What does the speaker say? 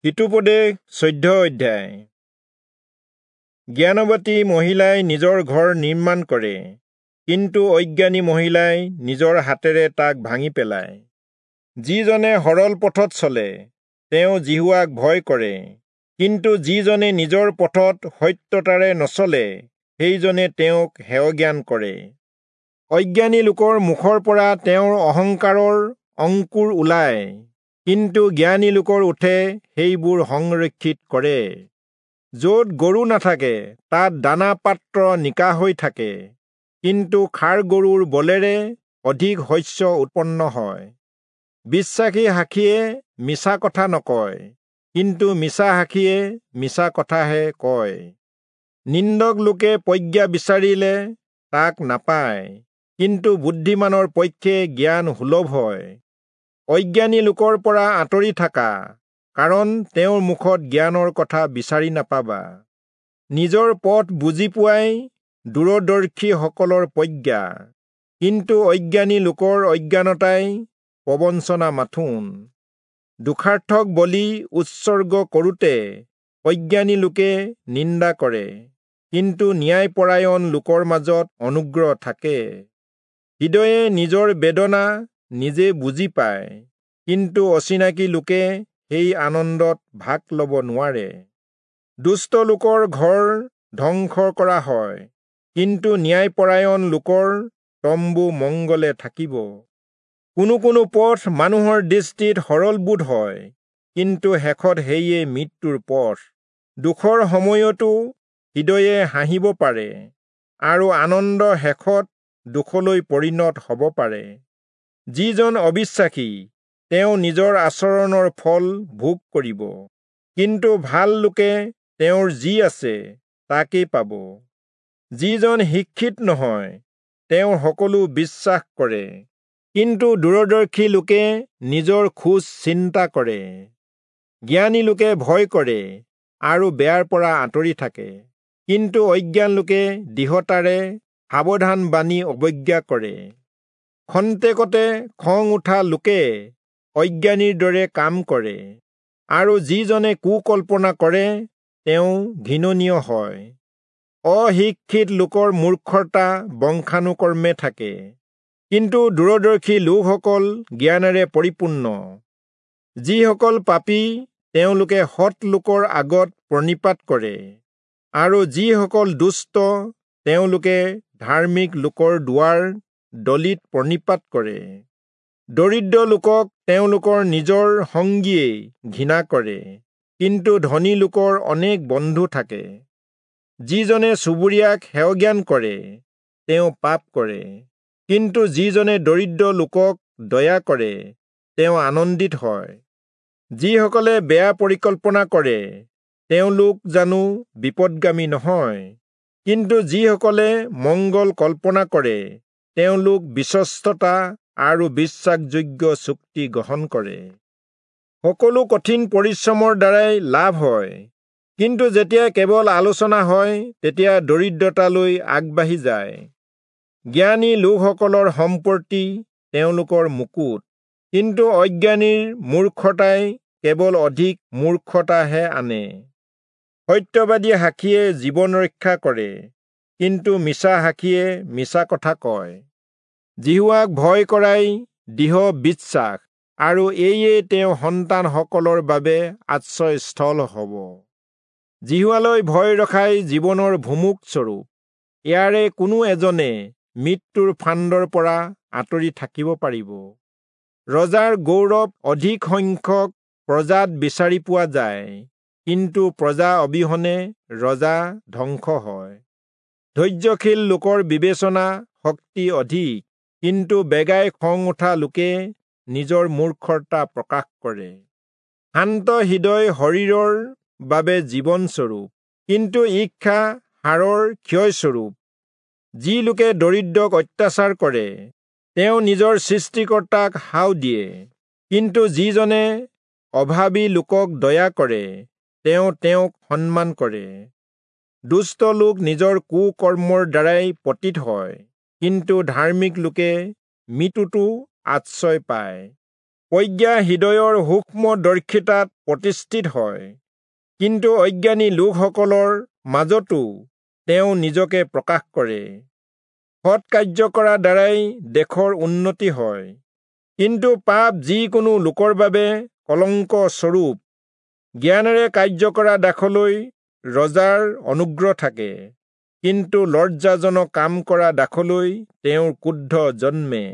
হিতোপদেশ 14 অধ্যায়। জ্ঞানৱতী মহিলাই নিজৰ ঘৰ নিৰ্মাণ কৰে, কিন্তু অজ্ঞানী মহিলাই নিজৰ হাতেৰে তাক ভাঙি পেলায়। যিজনে সৰল পথত চলে, তেওঁ যিহোৱাক ভয় কৰে, কিন্তু যিজনে নিজৰ পথত সত্যতাৰে নচলে, সেইজনে তেওঁক হেয়জ্ঞান কৰে। অজ্ঞানী লোকৰ মুখৰ পৰা তেওঁৰ অহংকাৰৰ অংকুৰ ওলায়, কিন্তু জ্ঞানী লোকৰ ওঁঠে সেইবোৰ সংৰক্ষিত কৰে। য'ত গৰু নাথাকে, তাত দানা পাত্ৰ নিকা হৈ থাকে, কিন্তু ষাঁড় গৰুৰ বলেৰে অধিক শস্য উৎপন্ন হয়। বিশ্বাসী সাক্ষীয়ে মিছা কথা নকয়, কিন্তু মিছা সাক্ষীয়ে মিছা কথাহে কয়। নিন্দক লোকে প্ৰজ্ঞা বিচাৰিলে তাক নাপায়, কিন্তু বুদ্ধিমানৰ পক্ষে জ্ঞান সুলভ হয়। অজ্ঞানী লোকৰ পৰা আঁতৰি থাকা, কাৰণ তেওঁৰ মুখত জ্ঞানৰ কথা বিচাৰি নাপাবা। নিজৰ পথ বুজি পোৱাই দূৰদৰ্শীসকলৰ প্ৰজ্ঞা, কিন্তু অজ্ঞানী লোকৰ অজ্ঞানতাই প্ৰবঞ্চনা মাথোন। দুখাৰ্থক বলি উৎসৰ্গ কৰোঁতে অজ্ঞানী লোকে নিন্দা কৰে, কিন্তু ন্যায়পৰায়ণ লোকৰ মাজত অনুগ্ৰহ থাকে। হৃদয়ে নিজৰ বেদনা নিজে বুজি পায়, কিন্তু অচিনাকি লোকে সেই আনন্দত ভাগ ল'ব নোৱাৰে। দুষ্ট লোকৰ ঘৰ ধ্বংস কৰা হয়, কিন্তু ন্যায়পৰায়ণ লোকৰ তম্বু মংগলে থাকিব। কোনো কোনো পথ মানুহৰ দৃষ্টিত সৰলবোধ হয়, কিন্তু শেষত সেয়ে মৃত্যুৰ পথ। দুখৰ সময়তো হৃদয়ে হাঁহিব পাৰে, আৰু আনন্দ শেষত দুখলৈ পৰিণত হ'ব পাৰে। যিজন অবিশ্বাসী, তেওঁ নিজৰ আচৰণৰ ফল ভোগ কৰিব, কিন্তু ভাল লোকে তেওঁৰ যি আছে তাকেই পাব। যিজন শিক্ষিত নহয়, তেওঁ সকলো বিশ্বাস কৰে, কিন্তু দূৰদৰ্শী লোকে নিজৰ খোজ চিন্তা কৰে। জ্ঞানী লোকে ভয় কৰে আৰু বেয়াৰ পৰা আঁতৰি থাকে, কিন্তু অজ্ঞান লোকে দৃঢ়তাৰে সাৱধান বাণী অৱজ্ঞা কৰে। খন্তেকতে খং উঠা লোকে অজ্ঞানীৰ দৰে কাম কৰে, আৰু যিজনে কুকল্পনা কৰে তেওঁ ঘৃণনীয় হয়। অশিক্ষিত লোকৰ মূৰ্খতা বংশানুক্ৰমে থাকে, কিন্তু দূৰদৰ্শী লোকসকল জ্ঞানেৰে পৰিপূৰ্ণ। যিসকল পাপী, তেওঁলোকে সৎ লোকৰ আগত প্ৰণিপাত কৰে, আৰু যিসকল দুষ্ট, তেওঁলোকে ধাৰ্মিক লোকৰ দুৱাৰ দলিত প্ৰণিপাত কৰে। দৰিদ্ৰ লোকক তেওঁলোকৰ নিজৰ সংগীয়েই ঘৃণা কৰে, কিন্তু ধনী লোকৰ অনেক বন্ধু থাকে। যিজনে চুবুৰীয়াক হেয়জ্ঞান কৰে, তেওঁ পাপ কৰে, কিন্তু যিজনে দৰিদ্ৰ লোকক দয়া কৰে, তেওঁ আনন্দিত হয়। যিসকলে বেয়া পৰিকল্পনা কৰে, তেওঁলোক জানো বিপদগামী নহয়? কিন্তু যিসকলে মংগল কল্পনা কৰে, তেওঁলোক বিশ্বস্ততা আৰু বিশ্বাসযোগ্য চুক্তি গ্ৰহণ কৰে। সকলো কঠিন পৰিশ্ৰমৰ দ্বাৰাই লাভ হয়, কিন্তু যেতিয়া কেৱল আলোচনা হয়, তেতিয়া দৰিদ্ৰতালৈ আগবাঢ়ি যায়। জ্ঞানী লোকসকলৰ সম্পত্তি তেওঁলোকৰ মুকুট, কিন্তু অজ্ঞানীৰ মূৰ্খতাই কেৱল অধিক মূৰ্খতাহে আনে। সত্যবাদী সাক্ষীয়ে জীৱন ৰক্ষা কৰে, কিন্তু মিছা সাক্ষীয়ে মিছা কথা কয়। যিহোৱাক ভয় কৰাই দৃঢ় বিশ্বাস, আৰু এয়ে তেওঁ সন্তানসকলৰ বাবে আশ্ৰয়স্থল হ'ব। যিহোৱালৈ ভয় ৰখাই জীৱনৰ ভুমুক স্বৰূপ, ইয়াৰে কোনো এজনে মৃত্যুৰ ফান্দৰ পৰা আঁতৰি থাকিব পাৰিব। ৰজাৰ গৌৰৱ অধিক সংখ্যক প্ৰজাত বিচাৰি পোৱা যায়, কিন্তু প্ৰজা অবিহনে ৰজা ধ্বংস হয়। ধৈৰ্যশীল লোকৰ বিবেচনা শক্তি অধিক, কিন্তু বেগাই খং উঠা লোকে নিজৰ মূৰ্খতা প্ৰকাশ কৰে। শান্ত হৃদয় শৰীৰৰ বাবে জীৱনস্বৰূপ, কিন্তু ঈৰ্ষা হাড়ৰ ক্ষয়স্বৰূপ। যি লোকে দৰিদ্ৰক অত্যাচাৰ কৰে, তেওঁ নিজৰ সৃষ্টিকৰ্তাক শাও দিয়ে, কিন্তু যিজনে অভাৱী লোকক দয়া কৰে, তেওঁ তেওঁক সন্মান কৰে। দুষ্ট লোক নিজৰ কুকৰ্মৰ দ্বাৰাই পতিত হয়, কিন্তু ধাৰ্মিক লোকে মৃত্যুতো আশ্ৰয় পায়। প্ৰজ্ঞা হৃদয়ৰ সূক্ষ্মদৰ্শিতাত প্ৰতিষ্ঠিত হয়, কিন্তু অজ্ঞানী লোকসকলৰ মাজতো তেওঁ নিজকে প্ৰকাশ কৰে। সৎ কাৰ্য কৰা দ্বাৰাই দেশৰ উন্নতি হয়, কিন্তু পাপ যিকোনো লোকৰ বাবে কলংক স্বৰূপ। জ্ঞানেৰে কাৰ্য কৰা দাসলৈ ৰজাৰ অনুগ্ৰহ থাকে, কিন্তু লজ্জাজনক কাম কৰা দাসলৈ তেওঁৰ ক্ৰোধ জন্মে।